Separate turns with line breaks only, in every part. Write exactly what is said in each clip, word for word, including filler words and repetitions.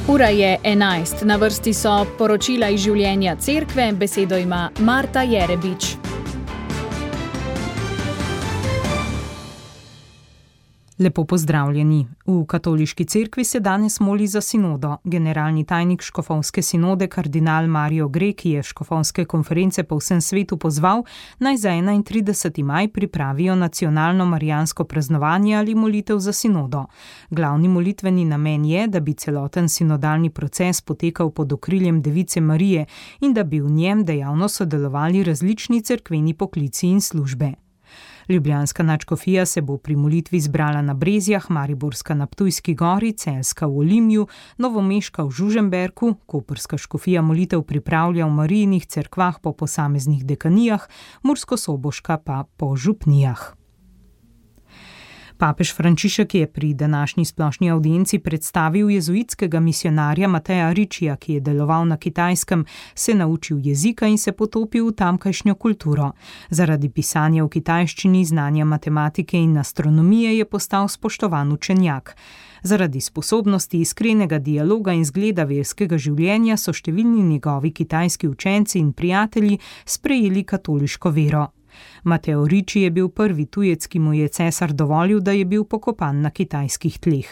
Ura je enajst, na vrsti so poročila iz življenja cerkve, besedo ima Marta Jerebič.
Lepo pozdravljeni. V katoliški cerkvi se danes moli za sinodo. Generalni tajnik škofovske sinode kardinal Mario Grek je škofovske konference po vsem svetu pozval, naj za enaintrideseti maj pripravijo nacionalno marijansko praznovanje ali molitev za sinodo. Glavni molitveni namen je, da bi celoten sinodalni proces potekal pod okriljem Device Marije in da bi v njem dejavno sodelovali različni cerkveni poklici in službe. Ljubljanska nadškofija se bo pri molitvi zbrala na Brezjah, mariborska na Ptujski gori, celjska v Olimju, novomeška v Žužemberku, koprska škofija molitev pripravlja v Marijinih cerkvah po posameznih dekanijah, murskosoboška pa po župnijah. Papež Frančišek je pri današnji splošni avdienci predstavil jezuitskega misijonarja Mateja Ričija, ki je deloval na Kitajskem, se naučil jezika in se potopil v tamkajšnjo kulturo. Zaradi pisanja v kitajščini, znanja matematike in astronomije je postal spoštovan učenjak. Zaradi sposobnosti iskrenega dialoga in zgleda verskega življenja so številni njegovi kitajski učenci in prijatelji sprejeli katoliško vero. Mateo Ricci je bil prvi tujec, ki mu je cesar dovolil, da je bil pokopan na kitajskih tleh.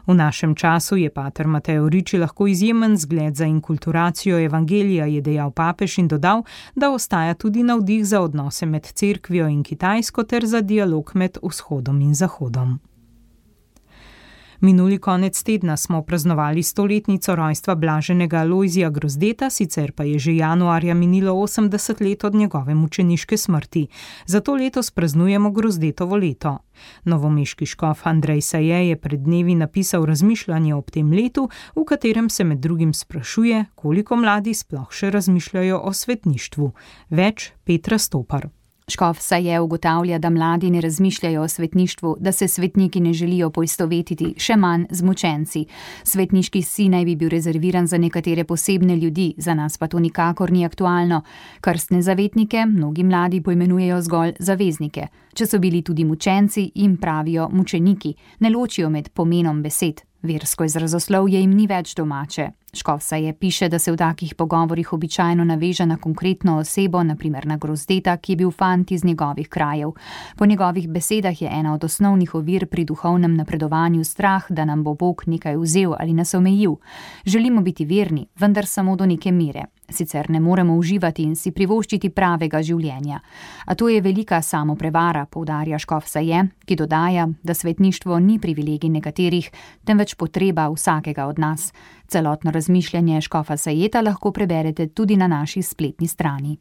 V našem času je pater Mateo Ricci lahko izjemen zgled za inkulturacijo evangelija, je dejal papež in dodal, da ostaja tudi navdih za odnose med cerkvijo in Kitajsko ter za dialog med vzhodom in zahodom. Minuli konec tedna smo praznovali stoletnico rojstva blaženega Alojzija Grozdeta, sicer pa je že januarja minilo osemdeset let od njegove mučeniške smrti. Zato letos praznujemo Grozdetovo leto. Novomeški škof Andrej Saje je pred dnevi napisal razmišljanje ob tem letu, v katerem se med drugim sprašuje, koliko mladi sploh še razmišljajo o svetništvu. Več Petra Stopar.
Škof Saje ugotavlja, da mladi ne razmišljajo o svetništvu, da se svetniki ne želijo poistovetiti, še manj z mučenci. Svetniški sin naj bi bil rezerviran za nekatere posebne ljudi, za nas pa to nikakor ni aktualno. Krstne zavetnike mnogi mladi poimenujejo zgolj zaveznike. Če so bili tudi mučenci, jim pravijo mučeniki, ne ločijo med pomenom besed. Versko izrazoslovje jim ni več domače. Škof Saje piše, da se v takih pogovorih običajno naveže na konkretno osebo, na primer na Grozdeta, ki je bil fant iz njegovih krajev. Po njegovih besedah je ena od osnovnih ovir pri duhovnem napredovanju strah, da nam bo Bog nekaj vzel ali nas omejil. Želimo biti verni, vendar samo do neke mere. Sicer ne moremo uživati in si privoščiti pravega življenja. A to je velika samoprevara, poudarja škof Saje, ki dodaja, da svetništvo ni privilegij nekaterih, temveč potreba vsakega od nas. Celotno razmišljanje škofa Sajeta lahko preberete tudi na naši spletni strani.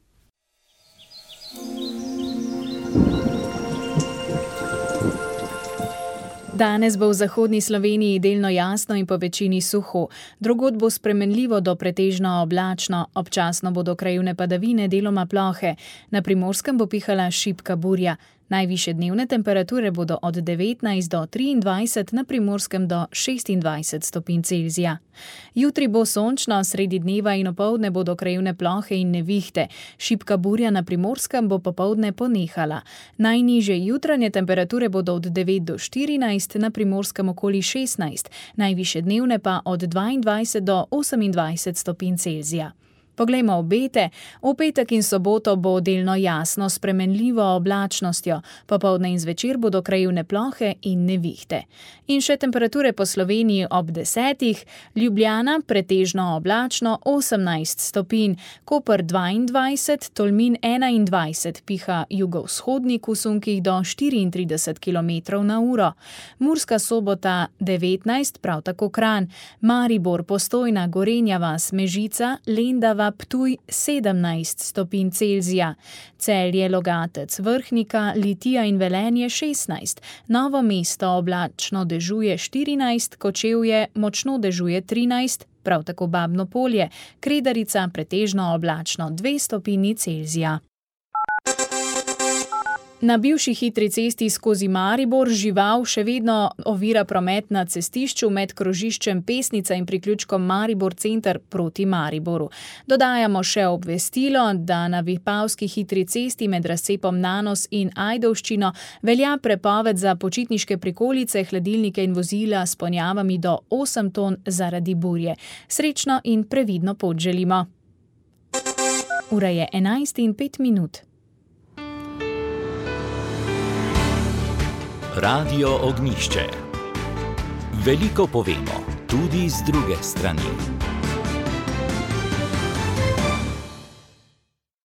Danes bo v zahodni Sloveniji delno jasno in po večini suho. Drugod bo spremenljivo do pretežno oblačno, občasno bodo krajevne padavine deloma plohe. Na Primorskem bo pihala šibka burja. Najvišje dnevne temperature bodo od devetnajst do triindvajset, na Primorskem do šestindvajset stopinj Celzija. Jutri bo sončno, sredi dneva in opoldne bodo krajevne plohe in nevihte. Šibka burja na Primorskem bo popoldne ponehala. Najnižje jutranje temperature bodo od devet do štirinajst, na Primorskem okoli šestnajst, najvišje dnevne pa od dvaindvajset do osemindvajset stopinj Celzija. Poglejmo obete. V petek in soboto bo delno jasno s spremenljivo oblačnostjo, popoldne in zvečer bodo krajevne plohe in nevihte. In še temperature po Sloveniji ob desetih, Ljubljana pretežno oblačno osemnajst stopinj, Koper dvaindvajset, Tolmin enaindvajset, piha jugovzhodnik v sunkih do štiriintrideset kilometrov na uro. Murska Sobota devetnajst, prav tako Kranj, Maribor, Postojna, Gorenja vas, Mežica, Lendava, Ptuj sedemnajst stopinj Celzija, Celje, Logatec, Vrhnika, Litija in Velenje šestnajst, Novo mesto oblačno dežuje štirinajst, Kočevje močno dežuje trinajst, prav tako Babno Polje, Kredarica pretežno oblačno dve stopinji Celzija. Na bivši hitri cesti skozi Maribor žival še vedno ovira promet na cestišču med krožiščem Pesnica in priključkom Maribor center proti Mariboru. Dodajamo še obvestilo, da na vipavski hitri cesti med razcepom Nanos in Ajdovščino velja prepoved za počitniške prikolice, hladilnike in vozila s ponjavami do osem ton zaradi burje. Srečno in previdno pot želimo. Ura je enajst in pet minut.
Radio Ognjišče. Veliko povemo, tudi z druge strani.